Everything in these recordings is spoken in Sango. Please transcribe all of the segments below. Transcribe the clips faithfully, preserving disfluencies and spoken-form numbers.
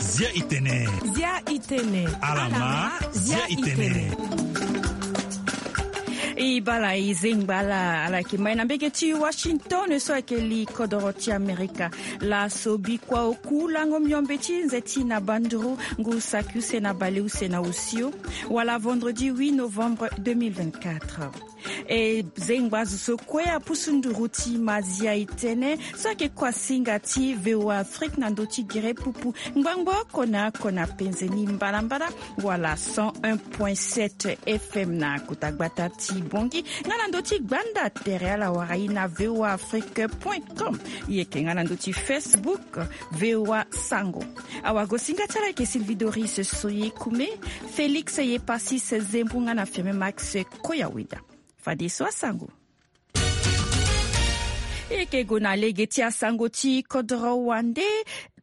Zia itene. Zia itene. Alama, zia itene. I bala i zengba ala ala yeke mai na mbege ti Washington so ayeke li kodoro ti Amerika. Laso bikua oku lango miombe ti nze ti na banduru ngu saki use na baleuse na osio. Wala vendredi huit novembre deux mille vingt-quatre. E zengba azo so kue apusu nduru ti ma zia itene so ayeke kuasinga ti VOA Afrique na ndö ti gere pupu ngbangbo oko na oko na penze ni mbalambala. Wala cent un point sept FM na kota gbata ti Bongi nga na ndö ti gbanda tere ala wara i na VOA Afrique point com. I yeke nga na ndö ti Facebook VOA Sango. Awagosinga ti ala ayeke Sylvie Doris Soye Kume, Félix Yepasis Zembu nga na Firme Max Koyaweda. Fadeso asango. E yeke gue na lege ti asango ti kodoro wande.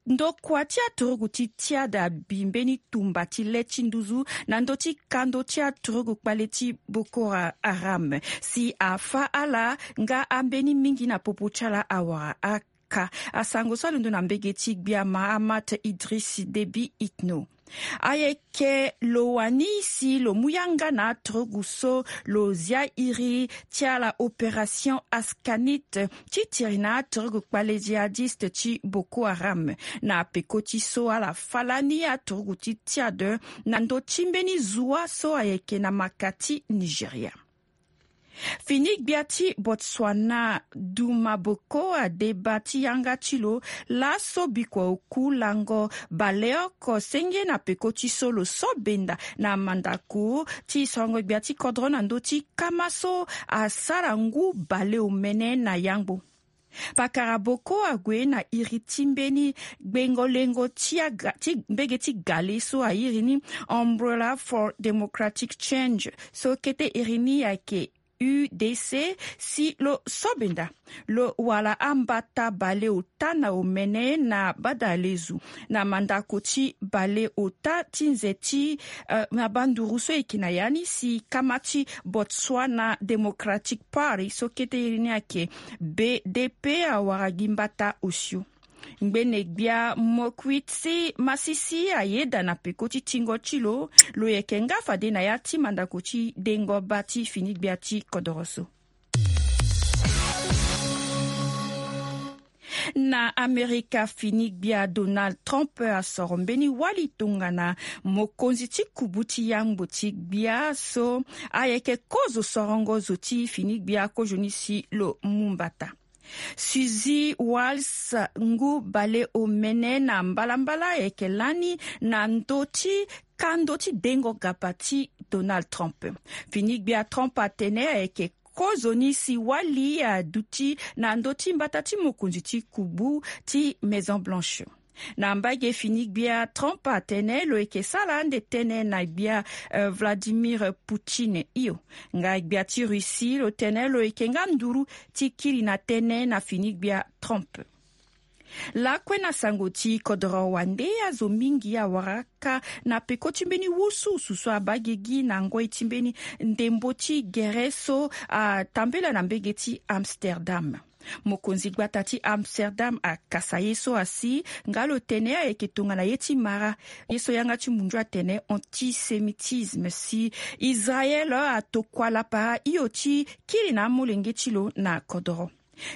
Ndokua ti aturugu ti tiada abi mbeni tumba ti le ti nduzu na ndö ti kando ti aturugu kpale ti Boko Haram si afâ ala nga ambeni mingi na popo ti ala awara aka. Asango so alondo na mbege ti gbia Mahamat Idriss Déby Itno. Ayeke lo wani si lo mu yanga na aturugu so lo zia iri ti ala opération Ascanite ti tiri na aturugu kpale djihadiste ti Boko Haram. Na peko ti so ala fâ lani aturugu ti tiade na ndö ti mbeni zua so ayeke na maka ti Nigeria. Fini gbia ti Botswana Duma Boko adeba ti yanga ti lo laso bikua oku lango baleoko senge na peko ti so lo so benda na mandako ti sorongo gbia ti kodro na ndö ti kama so asara ngu baleomene na yangbo. Pakara Boko ague na iri ti mbeni gbengo lengo ti aga ti mbege ti gale so airi ni Umbrella for Democratic Change so kete iri ni ayeke U D C si lo so benda lo wala ambata baleota na omene na badalezu na mandako ti baleota ti nze ti na banduru so eke na ya ni si kama ti Botswana Democratic Party so kete iri ni ayeke B D P awara gi mbata osio. Ngbene gbia Mokwitsi Masisi ayeda na peko ti tingo ti lo lo yeke nga fade na ya ti mandako ti dengo ba ti fini gbia ti kodoro so. Na Amerika fini gbia Donald Trump asoro mbeni wali tongana mokonzi ti kubu ti yangbo ti gbia so ayeke kozo sorongo zo ti fini gbia kozoni si lo mu mbata. Suzy Wiles ngu baleomene na mbalambala ayeke lani na ndö ti kando ti dengo gapa ti Donald Trump. Fini gbia Trump atene ayeke kozoni si wali aduti na ndö ti mbata ti mokonzi ti kubu ti Maison Blanche. Na mbage fini gbia Trump atene lo yeke sara ande tënë na gbia Vladimir Poutine hio. Nga gbia ti Russie lo tene lo yeke nga nduru ti kiri na tënë na fini gbia Trump. Lakue na sango ti kodoro wande azo mingi awara aka na peko ti mbeni wusuwusu so abaa gigi na ngoi ti mbeni ndembo ti gere so atambela na mbege ti Amsterdam. Mokonzi gbata ti Amsterdam akasa ye so asi nga lo tene ayeke tongana ye ti mara ye so yanga ti mundu atene antisémitisme si Israël atokua lapara hio ti kiri na amolenge ti lo na kodoro.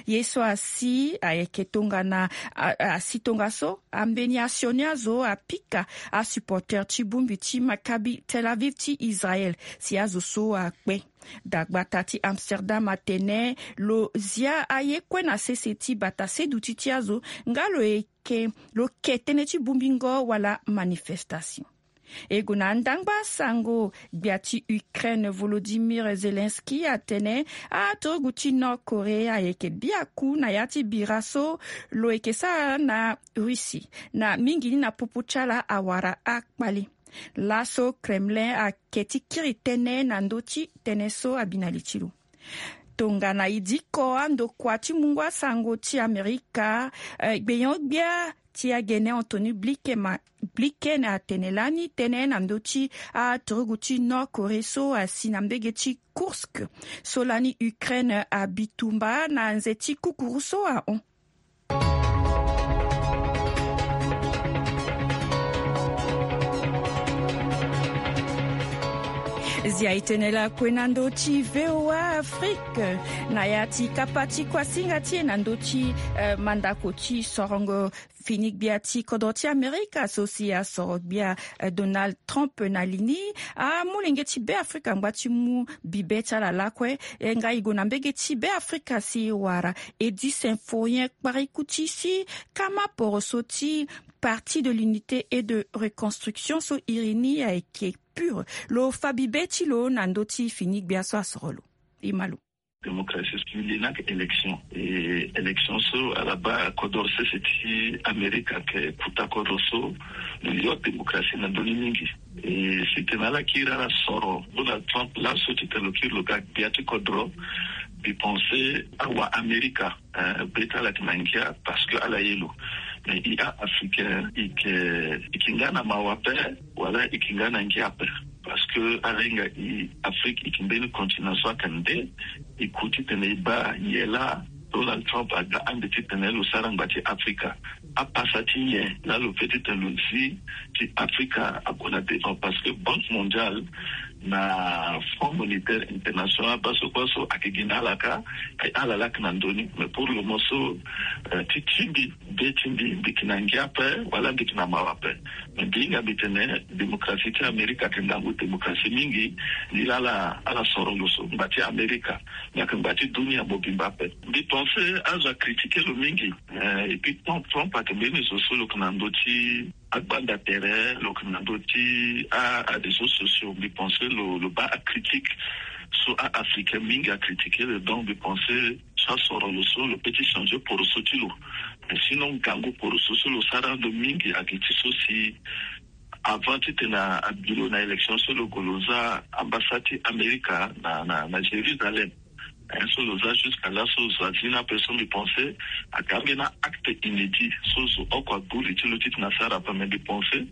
Ye so asi ayeke tongana asi tongaso ambeni asioni azo apika asupporter ti bongbi ti Maccabi Tel Aviv ti Israël si azo so akpe. Dagbata ti Amsterdam atene lo zia aye kue na sese ti bata seduti ti azo nga lo yeke lo ke tënë ti bongbingo wala manifestation. E gue na andangba sango, gbia ti Ukraine Volodymyr Zelensky atene aturugu ti Nord Corée ayeke biaku na ya ti bira so lo yeke sara na Russie na mingi ni na popo ti ala awara akpale. Laso Kremlin ake ti kiri tënë na ndö ti tënë so abi na li ti lo. Tongana e diko andokua ti mungo asango ti Amerika, gbenyo-gbia ti agene Anthony Blinken ma Blinken atene lani tënë na ndö ti aturugu ti Nord Corée so asi na mbege ti Kursk so lani Ukraine abi tumba na nze ti kukuru so ahon. Zia e tene lakue na ndö ti V O A Afrique na ya ti kapa ti kuasinga ti e na ndö ti mandako ti sorongo. Fini gbia ti kodro ti Amerika so si asoro gbia Donald Trump na li ni, amolenge ti Beafrika angba ti mu bibe ti ala lakue. Nga e gue na mbege ti Beafrika si e wara Edi Symphorien Kpariku ti si kama poroso ti Parti de l'Unité et de Reconstruction so iri ni ayeke PUR lo fa bibe ti lo na ndö ti fini gbia so asoro lo. E ma lo. Démocratie so e li ni ayeke élection. E élection so ala baa kodro sese ti Amerika ayeke kota kodro so lo yo démocratie na ndö ni mingi. E si tene ala kiri ala soro Donald Trump laso titene lo kiri lo ga gbia ti kodro, mbi pense awa Amerika be ti ala ayeke na ngia parce que ala ye lo. Mais e a-Africain e yeke e yeke nga na mawa ape wala e yeke nga na ngia ape. Parce que ala hinga e Afrique e yeke mbeni continent so ayeke nde e ku titene e baa nyen laa Donald Trump aga ande titene lo sara ngba ti Afrika. Apasa ti nyen laa lo fait titene lo zi ti Afrika ague na devant? Parce que Banque Mondiale na Fonds Monétaire International baa so kue so ayeke gi na ala kâ. Ala laa ayeke na ndö ni. Mais pour le moment so ti ti mbi be ti mbi mbi yeke na ngia ape wala mbi yeke na mawa ape. Mais mbi hinga mbi tene démocratie ti Amerika ayeke ngangu démocratie mingi. Ni laa ala ala soro lo so ngba ti Amerika. Ni ayeke ngba ti dunia mobimba ape. Mbi pense azo acritiquer lo mingi. Et puis Trump Trump ayeke mbeni zo so lo yeke na ndö ti agbanda tere, lo yeke na ndö ti a aréseaux sociaux. Mbi pense lo lo baa acritique so a-Africain mingi acritiquer lo. Donc mbi pense so asoro lo so lo peut ti changer poroso ti lo. Mais sinon ngangu poroso so lo sara ando mingi ayeke ti so si avant titene abi lo na élection so lo gue lo za ambassade ti Amerika na na na Jérusalem. So lo za jusqu'à là so zo azi ni ape so mbi pense ayeke ambeni acte inédit so zo oko ague li ti lo titene asara ape. Mais mbi pense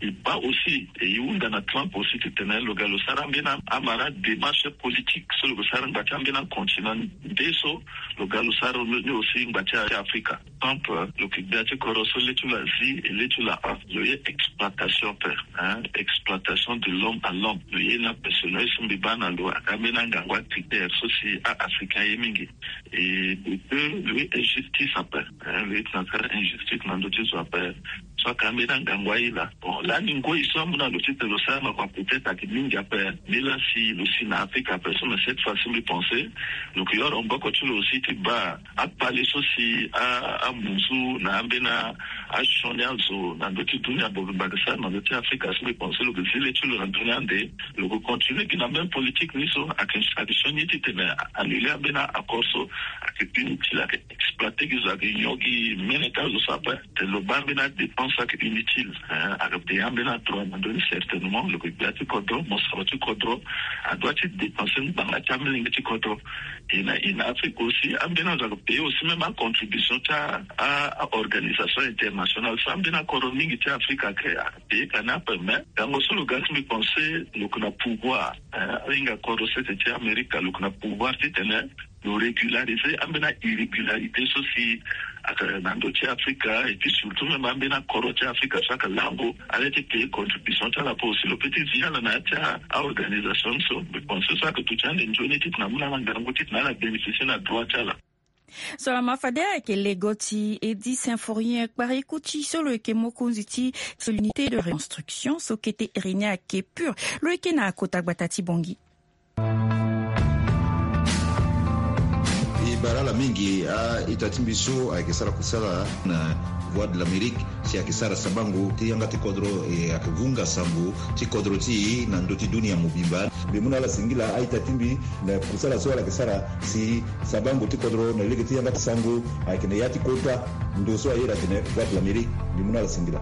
e baa aussi e hunda na Trump aussi titene lo ga lo sara ambeni amara démarche politique so lo gue sara ngba ti ambeni acontinent nde so lo ga lo sara ni aussi ngba ti Afrika. Trump lo yeke gbia ti kodro so le ti lo azi e le ti lo ahon. Lo ye exploitation ape. Exploitation de l'homme à l'homme lo ye ni ape. Selon ye so mbi baa na lo aga ambeni angangu acritère so si a-Africain aye mingi. E de deux lo ye injustice ape. Lo ye tena sara injustice na ndö ti zo ape. So ayeke ambeni angangu aye laa. Bon lani ngoi so amu na lo titene lo sara na kua peut-être ayeke mingi ape. Ni laa si lo si na Afrika ape so mais cette fois si mbi pense lo yeke yoro maboko ti lo aussi ti baa akpale so si amunzu na ambeni asioni azo na ndö ti dunia mobimba ayeke sara na ndö ti Afrika so mbi pense lo yeke zi le ti lo na ndö ni ande. Lo yeke continue gi na même politique ni so ayeke ayeke sioni titene annule ambeni accord so ayeke inutile ayeke exploiter gi zo ayeke nyon gi mene ti azo so ape. Tene lo baa ambeni adépense ayeke inutile. Ayeke payer ambeni adroit na ndö ni certainement lo yeke gbia ti kodro mosoro ti kodro. Adoit ti dépenser ngbanga ti amolenge ti kodro. E na e na Afrique aussi ambeni azo ayeke payer aussi même acontribution ti a aorganisation internationale so ambeni akodro mingi ti Afrique ayeke ayeke payer ka ni ape. Mais gango so lo ga ti mbi pense lo yeke na pouvoir. Ahinga kodro sese ti Amerika lo yeke na pouvoir titene lo régulariser ambeni airrégularité so si ayeke na ndö ti Afrika. Et puis surtout même ambeni akodro ti Afrika so ayeke lango ala ye ti payer contribution ti ala ape aussi lo peut ti zi ala na ya ti aorganisation ni so. Mbi pense so ayeke duti ande nzoni titene amu na ala ngangu titene ala bénéficier na droit ti ala. So lama fade ayeke lego ti Edi Symphorien Kpariku ti so lo yeke mokonzi ti l'unité de reconstruction so kete iri ni ayeke PUR. Lo yeke na kota gbata ti Bangui. E bara ala mingi a-ita ti mbi so ayeke sara kusala na Voix de l'Amérique si ayeke sara sabango ti yanga ti kodro e ayeke vunga sango ti kodro ti e na ndö ti dunia mobimba. Mbi mu na ala singila a-ita ti mbi na kusala so ala yeke sara si sabango ti kodro na lege ti yanga ti sango ayeke na ya ti kota ndo so ayeda atene Voix de l'Amérique. Mbi mu na ala singila.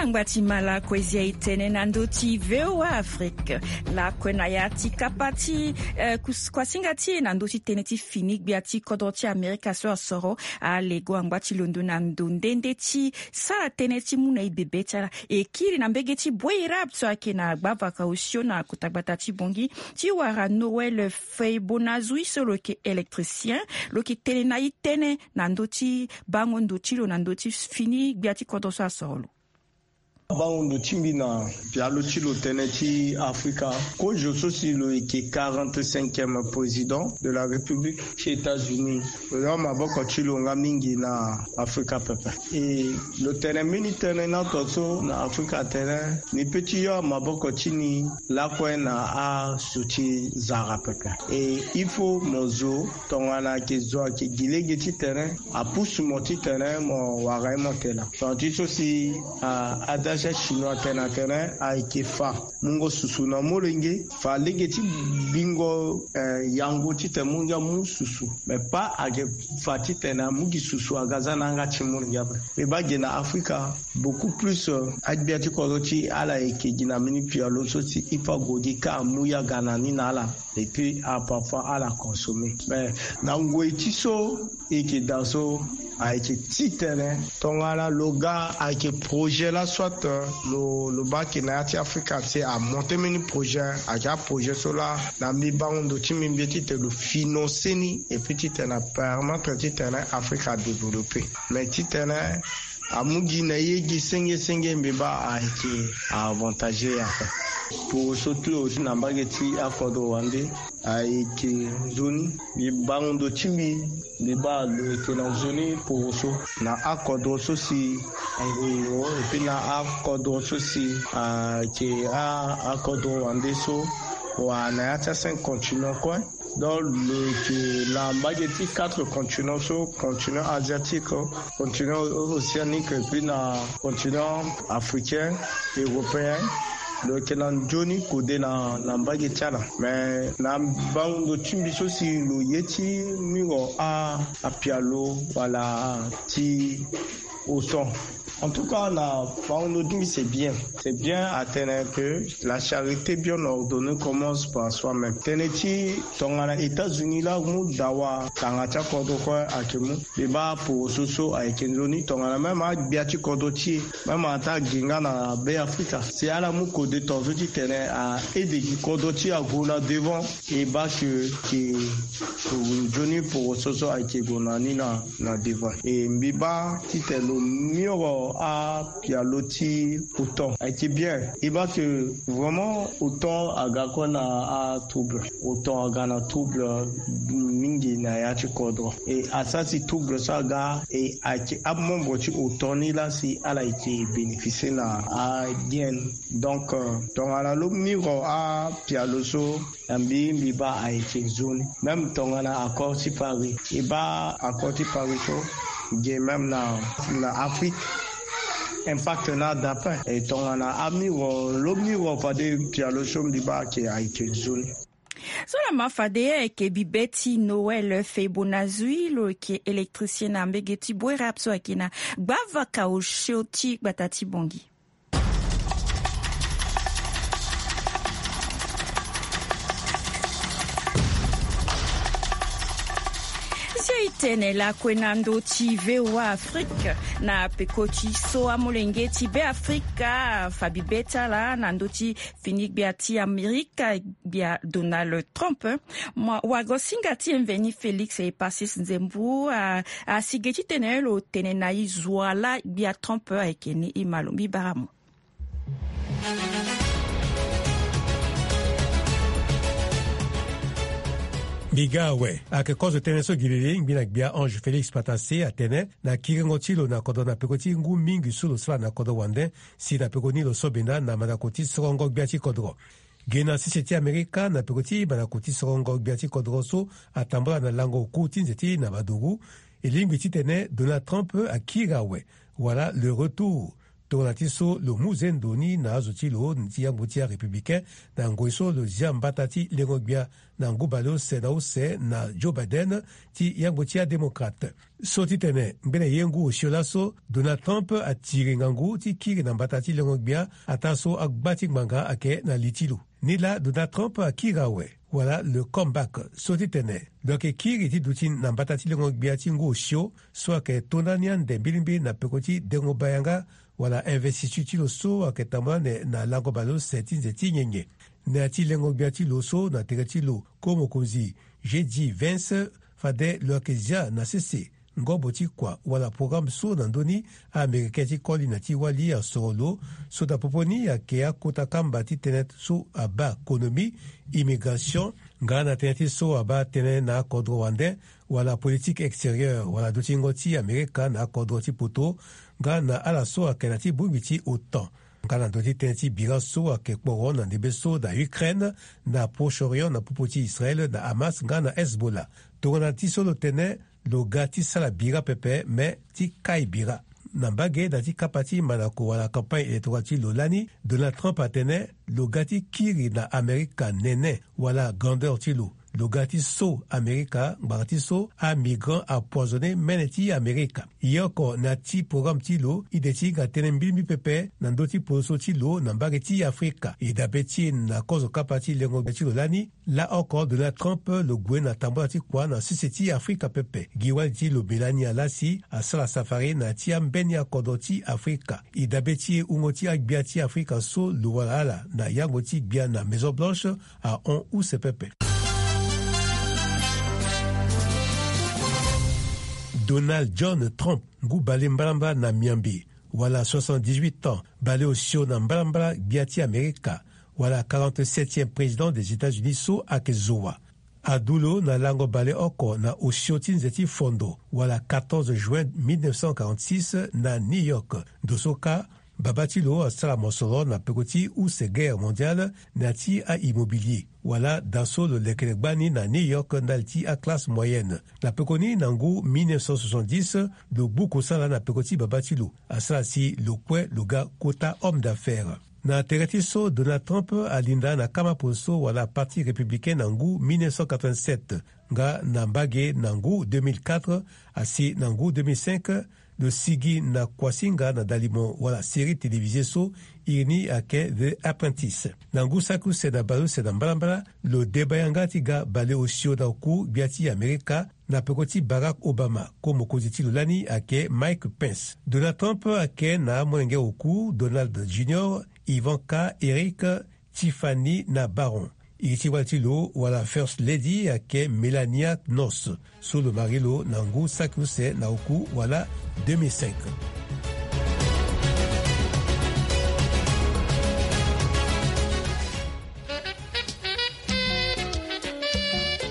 Angba ti ma lakue zia e tene na ndö ti V O A Afrique. Lakue na ya ti kapa ti eh, kus- kuasinga ti e na ndö ti tënë ti fini gbia ti kodro ti Amerika so asoro alego angba ti londo na ndo nde nde ti sara tënë ti mu na e bebe ti ala. E kiri na mbege ti Boirab so ayeke na gbavaka osio na kota gbata ti Bongi ti wara Noël Feibonazoui so lo yeke électricien, lo yeke tene na e tënë na ndö ti bango ndo ti lo na ndö ti fini gbia ti kodro so asoro lo. Bango ndo ti mbi na pialo ti lo tënë ti Afrika. Kozo so si lo yeke quarante-cinquième président de la République ti États-Unis. Lo yo maboko ti lo nga mingi na Afrika pepe. E lo tene mbeni tënë na to so na Afrika atene ni pe ti yo maboko ti ni lakue na aso ti zara pepe. E il faut mo zo tongana ayeke zo ayeke gi lege ti tene apusu mo ti tene mo wara ye mo tena. Tonga ti so si ah, adage chinois atene atene ayeke fa mungo susu na molenge, fa lege ti bingo eh, yango titene mu ngia mu susu. Mais pas ayeke fa titene amu gi susu aga za na yanga ti mu ngia ape. Mbi baa gi na Afrika beaucoup plus eh, agbia ti kodro ti ala yeke gi na mbeni pialo so si e pe ague gi ka amu ye aga na ni na ala. Et puis ah, parfois ala consommer mais na ngoi ti so e yeke daa so ayeke titene tongana lo ga ayeke projet la soit lo lo baa ke na ya ti Afrika si amonte mbeni projet ayeke aprojet so la na mbi bango ndo ti mbi mbi titene lo financer ni et puis titene apermettre titene Afrika adévelopper. Mais titene amu gi na ye gi senge senge mbi baa ayeke avantage ye ape. Poroso ti lo aussi na mbage ti akodro wande ayeke nzoni. Mbi bango ndo ti mbi mbi baa lo yeke na nzoni poroso na akodro so si ayeke na akodro so si ayeke akodro wande so wala na ya ti acinq continent kue. Donc lo yeke na mbage ti quatre continent so continent asiatique, continent océanique et puis na continent africain, européen. Lo yeke na nzoni kode na na mbage ti ala mais na bango ndo ti mbi so si lo ye ti mingo a apialo wala ti oton. En tout cas na bango ndo ti mbi c'est bien. C'est bien atene que la charité bien ordonnée commence par soi-même. Tënë ti tongana États-Unis la mu dawa tanga ti akodro kue ayeke mu. Mbi baa poroso so ayeke nzoni tongana même agbia ti kodro ti e même ata gi nga na Be Afrika si ala mu kode tongaso titene a aide gi kodro ti e ague na devant. E baa ke ke nzoni poroso so ayeke gue na ni na na devant. E mbi baa titene lo miro apialo ti oton ayeke bien. E baa ke vraiment oton aga kue na atrouble. Oton aga na trouble mingi na ya ti kodro. E asara si trouble so aga e ayeke amembre ti oton ni laa si ala yeke bénéficier na ayen. Donc euh, tongana lo miro apialo so na mbi mbi baa ayeke nzoni. Même tongana accord ti Paris e baa accord ti Paris so ge même na na Afrique impact na ada ape. E tongana amiro lo miro fade pialo so mbi baa ke ayeke nzoni. So na ma fade ayeke bibe ti Noël Feibonazoui lo yeke électricien na mbege ti Boirab so ayeke na gbavaka osio ti gbata ti Bongi. Si e tene lakue na ndö ti V O A Afrique na peko ti so amolenge ti Be Afrika fa bibe ti ala na ndö ti fini gbia ti Amerika gbia Donald Trump. Wagosinga ti e mveni Félix Epacis Nzembu asi ge titene lo tene na e zo wa laa gbia Trump ayeke ni e ma lo mbi bara mo. Mbi ga awe ayeke kozo tënë so gi lili ngbi na gbia Ange Félix Patase atene na kiringo ti lo na kodro na peko ti ngu mingi so lo sara na kodro wande si na peko ni lo so benda na mandako ti sorongo gbia ti kodro. Ge na sese ti Amerika na peko ti mandako ti sorongo gbia ti kodro so atambula na lango oku ti nze ti na baduru. E lingbi titene Donald Trump akiri awe wala le retour Tongana ti so lo mu zendo ni na azo ti lo ti yangbo ti arépublicain, na ngoi so lo zia mbata ti lengo-gbia na ngu baleuse na use na Joe Biden ti yangbo ti adémocrate. So ti tene ngbene ye ngu osio laso, Donald Trump atiri ngangu ti kiri na mbata ti lengo-gbia ataa so agba ti ngbanga ayeke na li ti lo. Nilaa Donald Trump akiri awe, wala le comeback, so ti tene lo yeke kiri ti duti na mbata ti lengo-gbia ti ngu osio so ayeke to ndani ande mbilimbili na peko ti dengo baa yanga wala investiture ti lo so ayeke tambula ande na lango baleuse ti nze ti nyenye. Na ya ti lengo-gbia ti lo so na tere ti lo ko mokonzi J D Vance, fade lo yeke zia na sese ngobo ti kua wala programme so na ndö ni a-Américain ti koli na ti wali asoro lo, so na popo ni ayeke akota kamba ti tënë so abaa konomi, immigration, nga na tënë ti so abaa tënë na akodro wande, wala politique extérieure, wala dutingo ti Amerika na akodro ti poto, nga na ala so ayeke na ti bongbi ti OTAN, nga na ndö ti tënë ti bira so ayeke kporo na ndembe so na Ukraine, na Proche-Orient na popo ti Israël, na Hamas nga na Hezbollah. Tongana ti so lo tene lo ga ti sara bira pepe, me ti kai bira. Na mbage na ti kapa ti mandako wala campagne électorale ti lo lani, Donald Trump atene lo ga ti kiri na Amerika nene wala grandeur ti lo. Lo ga ti so Amerika ngbanga ti so amigrant apoisonné mene ti Amerika. Ye oko na ti programme ti lo, e de ti hinga tënë mbilimbili pepe na ndö ti podoso ti lo na mbage ti Afrika. E dabe ti e na kozo kapa ti lengo-gbia ti lo lani, laoko Donald Trump lo gue na tambula ti kua na sese ti Afrika pepe. Gi wali ti lo Melania laa si asara safari na ya ti ambeni akodro ti Afrika. E dabe ti e wungo ti agbia ti Afrika so lo wara ala na yangbo ti gbia na Maison Blanche ahon use pepe. Donald John Trump, ngu bale mbalambala na miambe, wala soixante-dix-huit ans, bale osio na mbalambala gbia ti Amerika, wala quarante-septième président des États-Unis so ayeke zo wa. Adu lo na lango bale oko na osio ti nze ti fondo, wala quatorze juin mille neuf cent quarante-six, na New York. Ndo so kâ, baba ti lo asara mosoro na peko ti use guerre mondiale na ya ti a-immobilier, wala da so lo lekere gbani na New York ndali ti aclasse moyenne. Na pekoni na ngu mille neuf cent soixante-dix, lo gbu kosala na peko ti baba ti lo, asara si lo kue lo ga kota homme d'affaires. Na tere ti so, Donald Trump alinda na kama poso wala Parti républicain na ngu mille neuf cent quatre-vingt-sept, nga na mbage na ngu deux mille quatre, asi na ngu deux mille cinq, lo sigi na kuasinga na dalimo wala série télévisée so iri ni ayeke The Apprentice. Na ngu saki use na baleuse na mbalambala, lo deba yanga ti ga bale osio na oku gbia ti Amerika, na peko ti Barack Obama, ko mokonzi ti lo lani ayeke Mike Pence. Donald Trump ayeke na amolenge oku, Donald Junior, Ivanka, Eric, Tiffany na Barron. Iri ti wali ti lo wala First Lady ayeke Melania Knowles, so lo marie lo na ngu saki use na oku wala deux mille cinq.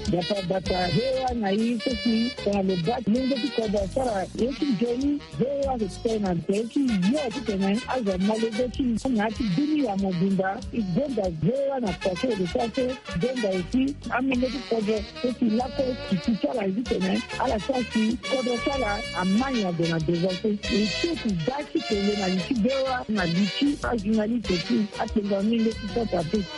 Bata bata, V O A na i so si tongana lo baa ti lenge ti kodro asara ye ti nzoni, V O A ayeke tene na tere ti yo titene azo amolenge ti na ya ti bini ya mobimba. E gonda V O A na kua so e yeke sara so, gonda aussi amolenge ti kodro so si lakue si ti ala ye titene ala sara si kodro ti ala amai ade na devant so. E so si da ti kele na li ti V O A na li ti ajournaliste ti atengo amolenge ti Centrafrique.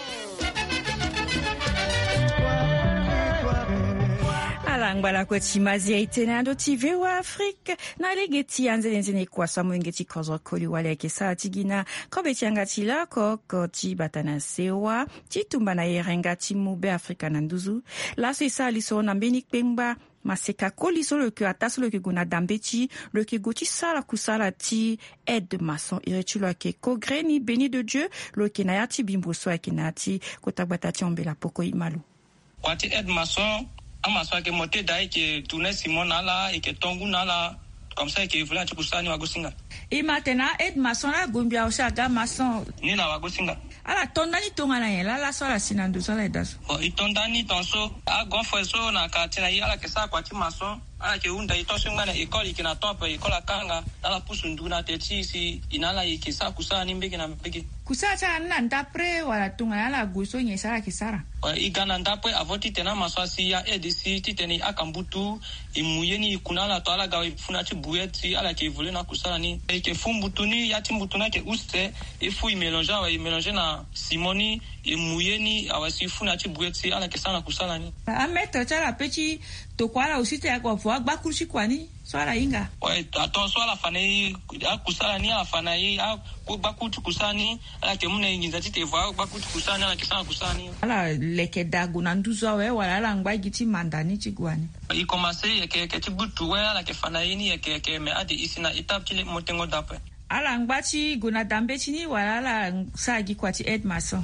Ala ngba lakue ti mazia e tene na ndö ti V O A Afrique. Na lege ti anzenenzene kua so amolenge ti kodro koli wali ayeke sara ti gi na kobe ti yanga ti laoko oko ti bata na sewa ti tumba na yerenga ti mu Beafrika na nduzu. Laso e sara lisoro na mbeni kpengba maseka koli so lo yeke ataa so lo yeke gue na dambeti, lo yeke gue ti sara kusala ti aide maçon. Iri ti lo ayeke Kogreni Béni de Dieu, lo yeke na ya ti bimbo so ayeke na ya ti kota gbata ti Ambela Poko. E ma lo. Kua ti aide maçon, amaçon ayeke mo te daa, e yeke tourner ciment na ala, e yeke to ngu na ala. Comme ça e yeke évoluer na ti kusala ni wagosinga. E ma tene a-aide maçon laa, gombi awe si aga maçon. Ni na wagosinga. Ala to ndani tongana nyen laa laso ala si na ndo so ala yeda so? Bon, e to ndani tongaso, a-grand frère so na quartier na e ala yeke sara kua ti maçon. Ala yeke hunda e to so e ngba na école, e yeke na temps ape école akanga. Ala pusu ndu na tere ti e si e na ala e yeke sara kusala ni mbege na mbege. Kusala ti ala ni na ndapre wala tongana ala gue so nyen si ala yeke sara? E ga na ndapue avo titene amaso asi ya aide si titene e aka mbutu, e mu ye ni e ku na ala to ala ga e fu na ya ti bouillette ti ala yeke évoluer na akusala ni. E yeke fu mbutu ni, ya ti mbutu ni ayeke use, e fu e mélanger awe, e mélanger na ciment ni, e mu ye ni awe si e fu na ya ti bouillette ti ala yeke sara na kusala ni. Amaître ti ala pe ti tokua ala aussi ti avo agbakuru ti kua ni. So ala hinga. Ouais, ato so ala fa na e akusala ni, ala fa na e a- gbakuru ti kusala ni, ala yeke mu na e nginza titene e vo agbakuru ti kusala ni, ala yeke sara kusala ni. Ala leke daa gue na nduzu awe wala ala ngba gi ti manda ni ti gue ni? E commencer yeke yeke ti gbutu we, ala yeke fa na e ni yeke yeke, mais ade e si na étape ti le- motengo daa ape. Ala ngba ti gue na da mbeti ni wala ala sara gi kua ti aide maçon?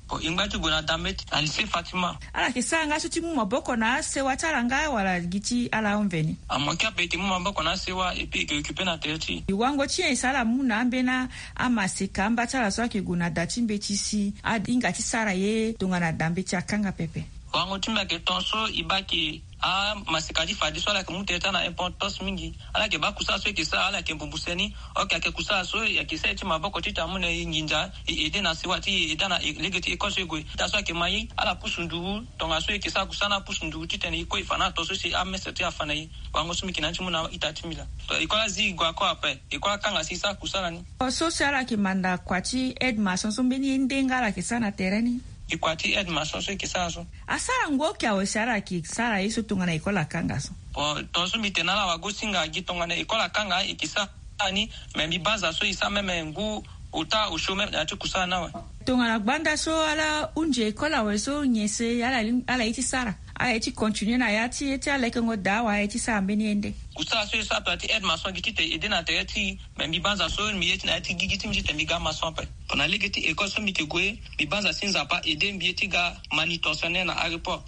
Bon, e ngba ti gue na da mbeti na lycée Fatima. Ala yeke sara nga so ti mu maboko na asewa ti ala nga wala gi ti ala ahon veni? Amoke ape e yeke mu maboko na asewa, et puis e yeke occuper na tere ti e. Wango ti nyen e sara ala mu na ambeni amaseka amba ti ala so ayeke gue na da ti mbeti si ahinga ti sara ye tongana da mbeti akanga pepe? Wango ti mbi ayeke ton so e baa ke amaseka ti fadeso ala yeke mu tere ti ala na importance mingi. Ala yeke baa kusala so e yeke sara, ala yeke mbumbu seni. Ok, ayeke kusala so e yeke sara ye ti maboko titene amu na e nginza, e aider na sewa ti e, e da na e- lege ti école so e gue. Titene so ayeke ma e, ala pusu nduru tongaso e yeke sara kusala ni, apusu nduru titene e kue e fa na ato so si amestre ti e afa na e. Wango so mbi yeke na ya ti mu na ita ti mbi laa. To école azi e gue ako ape, école akanga si e sara kusala ni. So si ala yeke manda kua ti aide maçon so mbeni ye nde nga ala yeke sara na tere ni? E kua ti aide maçon so e yeke sara so. Asara ngu oke awe si ala yeke sara ye so tongana école akanga so? Bon, tongaso mbi tene na ala wagosinga gi tongana école akanga e yeke sara ni, mais mbi banza so e sara même ngu ota osio même na ya ti kusala ni awe. Tongana gbanda so ala hunzi école awe so nyen si ala li- ala ye ti sara? Ala ye ti continuer na ya ti ye ti ala lekengo daa wala ala ye ti sara mbeni ye nde? Kusala so e sara ape na ya ti aide maçon gi titene e aider na tere ti e. Mais mbi banza so mbi ye ti na ya ti gigi ti mbi titene mbi ga maçon ape. Tongana lege ti école so mbi yeke gue, mbi banza si Nzapa aider mbi ye ti ga manutentionnaire na aéroport.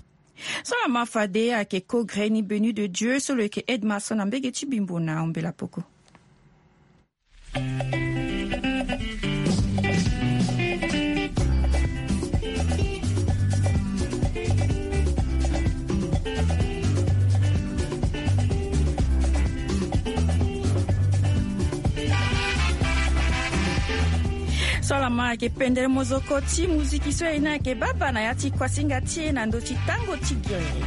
So lama fade ayeke ko gre ni Benu de Dieu so lo yeke aide maçon na mbege ti Bimbo na Ombela Poko. So lama ayeke pendere mozoko ti muziki so e na ayeke baba na ya ti kuasinga ti e na ndö ti tango ti gere.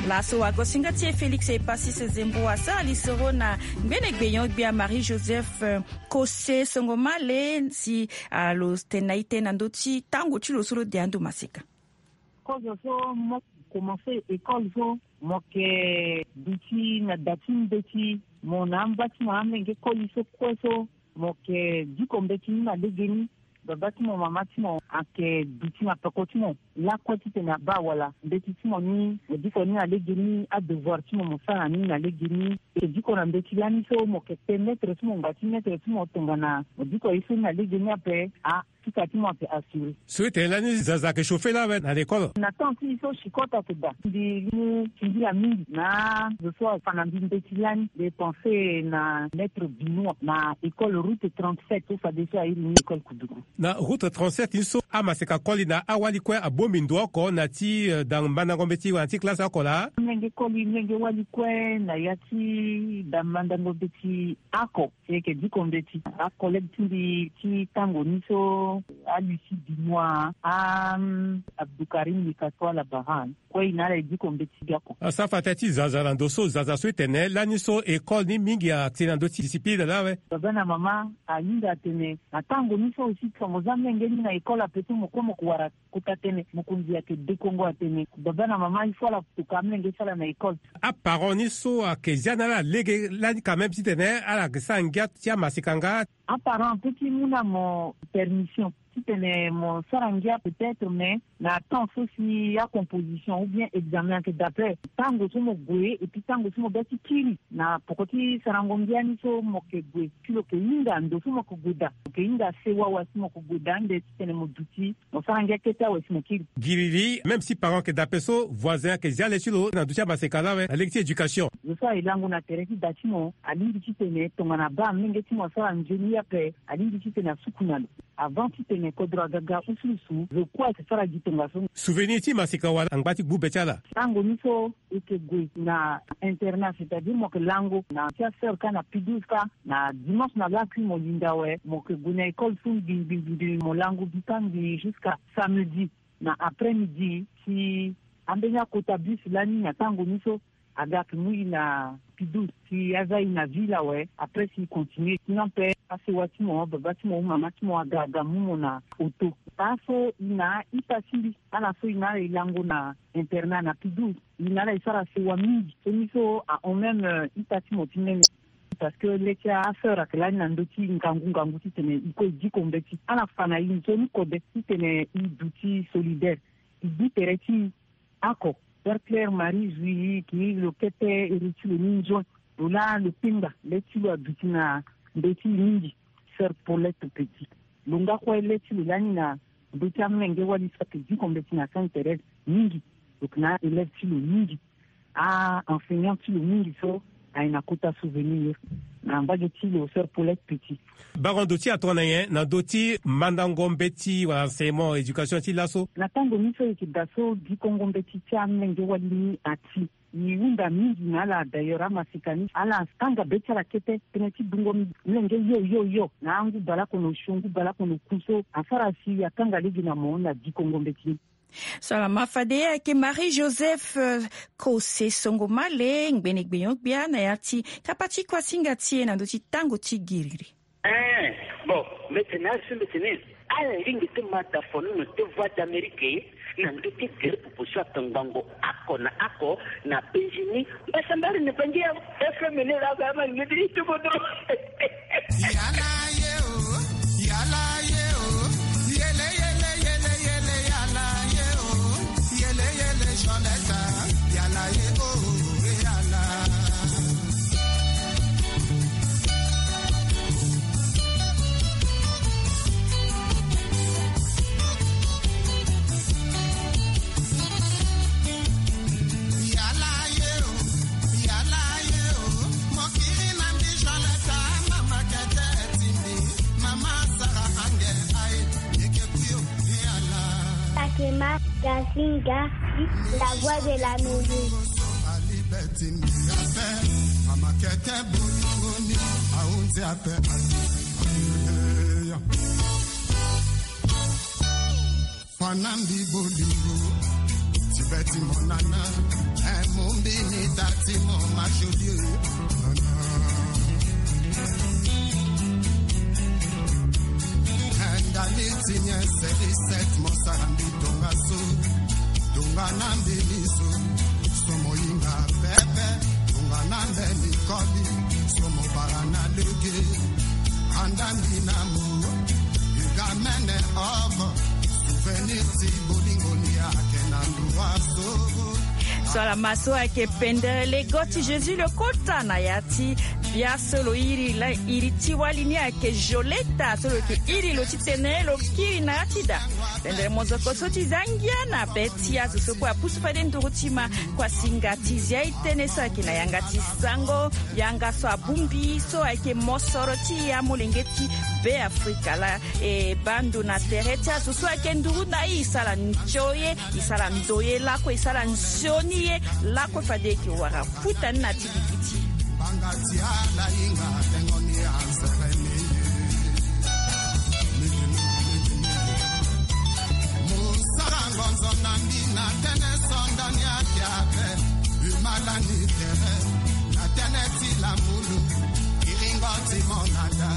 Laso wagosinga ti e Félix Epasis Zembo asara lisoro na ngbene gbenyo-gbia Marie Joseph, eh, Kose Songomale si, ah, lo tene na e tënë na ndö ti tango ti lo so lo de ando maseka. Kozo so mo commencer école so mo yeke duti na da ti mbeti, mo na amba ti mo amenge koli so kue so mo yeke diko mbeti ni na legeni. Baba ti mo, mama ti mo ayeke duti na peko ti mo lakue titene abaa wala mbeti ti mo ni mo diko ni na legeni, adevoir ti mo mo sara na ni na legeni. E diko na mbeti lani so mo yeke pe maître ti mo, ngba ti maître ti mo tongana mo diko ye so ni na legeni ape, a, sika ti mo ayeke assuré. So e tene lani zaza ayeke chauffer lawe na l'école. Na temps ti e so chicot ayeke daa. Mbi mu singila mingi na zo so afa na mbi mbeti lani. Mbi pense na maître Benoît na école route trente-sept so fadeso airi ni école Koudougou. Na route trente-sept ni so amaseka koli na awali kue abongbi ndo oko na ya ti, eh, da mandango mbeti wala na ya ti classe oko laa. Mlenge koli, mlenge wali kue na ya ti da mandango mbeti oko. Si e yeke diko mbeti, acollègue ti mbi ti tango ni so, a Lucie Benoît, a, mm, Abdoukarim Likato, ala Baran. Kue e na ala e diko mbeti biako. Asara fa tënë ti zaza na ndo so, zaza so e tene lani so école ni mingi ayeke na ndö ti discipline lawe. Baba na mama ahinga atene na tango ni so aussi tongo za mlenge ni na école ape so mo kue mo ko wara kota tënë, mokonzi ayeke dekongo atene baba na mama il faut ala toka amlenge ti ala na école. Aparent ni so ayeke zia na ala lege lani quand même titene ala yeke sara ngia ti amaseka nga. Aparent apeut ti mu na mo permission titene mo sara ngia peut-être, mais na temps so si acomposition ou bien examen ayeke daa ape, tango so mo gue et puis tango so mo be ti kiri na poko ti sarango ngia ni so mo yeke gue, si lo yeke hinga ndo so mo yeke gue daa, mo yeke hinga sewa wala si mo yeke gue daa ande titene mo duti mo sara ngia kete awe si mo kiri. Giriri, même si parent ayeke daa ape so, voisin ayeke zia le ti lo na ndö ti amaseka lawe na lege ti éducation. Zo so aye lango na tere ti da ti mo alingbi titene tongana abaa amlenge ti mo asara nzoni ape, alingbi titene asuku na lo. Avant titene kodro aga ga usuusu, zo kue ayeke sara gi tongaso. Souvenir ti maseka wala angba ti gbu be ti ala. Tango ni so e yeke gue na internat, c'est-à-dire mo yeke lango na ti asœur kâ na P douze kâ, na dimanche na lakui mo linda awe, mo yeke gue na école so ngbingbingbingbi, mo lango gi kâ ngbii jusqu'à samedi. na après midi si ambeni akota bus lani na tango ni so aga ake mu i na Pidouze si aza i na ville awe. Après si i continue sinon pe asewa ti mo, baba ti mo, mama ti mo aga aga mu mo na auto. Baa so i na a-ita ti mbi ala so i na ala e lango na internat na Pidouze. I na ala e sara sewa mingi so ni so ahon même ita ti mo ti nene. Parce que le ti aseur ake lani na ndö ti ngangu ngangu titene i kue i diko mbeti ala fa na i nzoni kode titene i duti solidaire. I gbi tere ti i oko. Père Claire Marie Zui, ki lo kete ere ti lo ni nzoni lo laa lo pengba le ti lo aduti na ndö ti i mingi. Sœur Paulette Petit, lo nga kue le ti lo lani na ndö ti amolenge wali so ake diko mbeti na Sainte Thérèse mingi. Donc na élève ti lo mingi, a-enseignant ti lo mingi so aye na kota souvenir na mbage ti lo, Sœur Paulette Petit. Bango ndo ti atona nyen na ndö ti mandango mbeti wala enseignement éducation ti laso? Na tango ni so e yeke daa so dikongo mbeti ti amolenge wali ni ati, e hunda mingi na ala. D'ailleurs amasika ni ala tanga be ti ala kete tënë ti dungo mlenge yo yo yo na angu baleoko na osio ngu baleoko na oku so asara si atanga lege na mo na dikongo mbeti ni. So ala ma fade ayeke Marie Joseph Kose Songomale ngbene gbenyo-gbia na ya ti kapa ti kuasinga ti e na ndö ti tango ti giriri. Ee, bon, mbi tene azo so mbi tene ala lingbi ti ma da fonono ti Voix d'Amérique na ndö ti gere popo so atongbango oko na oko na penzi ni. Mbasambari na bangi ya F M ni la ba ma ni ti bodo. Yala ye o, yala ye o, yele yele yele yele yala ye o, yele yele Joleta, yala ye o, yala. Sakema Gasinga, la voix de la musique. Fana mbi bolingo ti be ti mo nana. Eh, mo mbi ni da ti mo ma jolie nana. Eh, ndali ti nyen seri set mo sara mbi tongaso. Tongana mbi ni so. So mo hinga pepe, tongana mbeni koli, so mo bara na lege, anda mbi na mo, i ga mene oko, souvenir ti bolingo ni ayeke na ndua so. So ala ma so ayeke pendere lego ti Jésus le kota na ya ti bia so lo iri la, iri ti wali ni ayeke Joleta, so lo yeke iri lo titene lo kiri na ya ti da. Pendere mozoko so ti za ngia na be ti azo so kue apusu fade nduru ti ma. Kuasinga ti zia e tënë so ayeke na yanga ti sango, yanga so abongbi so ayeke mosoro ti e amolenge ti Be Afrika laa. E baa ndo na tere ti azo so ayeke nduru na e, e sara nzoni ye, e sara ndoye lakue, e sara nzoni ye lakue fade e yeke wara futa ni na ti liki ti e. Mbanga ti ala hinga tengo ni anzere ni. Mo sara ngonzo na mbi na tënë so ndani ayeke ape. Humalani tere na tënë ti lamulu. Kiringo ti mo na da.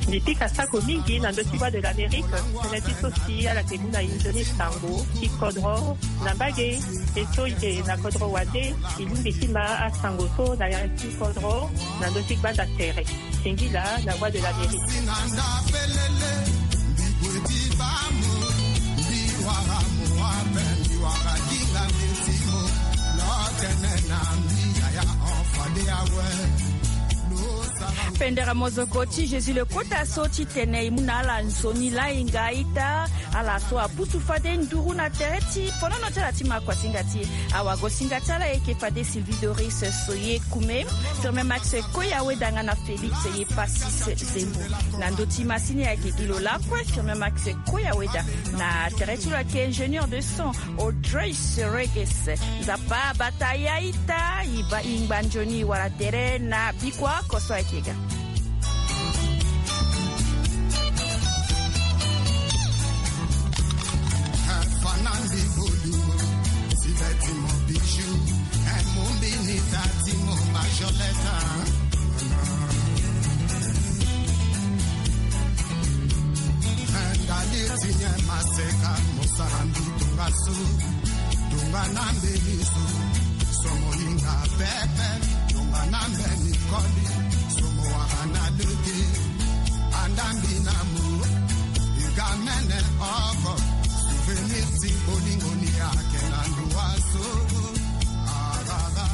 Mbi pika sako mingi na ndö ti Voix de l'Amérique, tënë ti so si ala yeke mu na e nzoni sango ti kodro na mbage. E so e yeke na kodro wande, e lingbi ti ma asango so na ya ti kodro na ndö ti gbanda tere. Singila, la voix de l'Amérique. Pendere mozoko ti Jésus le kota so titene e mu na ala nzoni la e nga ita. Ala so apusu fade nduru na tere ti fonono ti ala ti ma kuasinga ti e. Awagosinga ti ala e yeke fade Sylvie Doris Soye Kume, Firmin Max Koya Weda nga na Félix Yepasis Zembo. Na ndö ti masini ayeke gi lo lakue Firmin Max Koya Weda. Na tere ti lo ayeke ingénieur de son Audrey Sereges. Nzapa abata ya ita, e baa e ngba nzoni wala tere na bikua oko so ayeke ga. Maseka mosara mbi tonga so, tonga na mbeni so, so mohinga pepe, tonga na mbeni koli, so mowara na lege. Anda mbi na mo, iga mene oko, souvenir si bolingo ni ake na ndua so.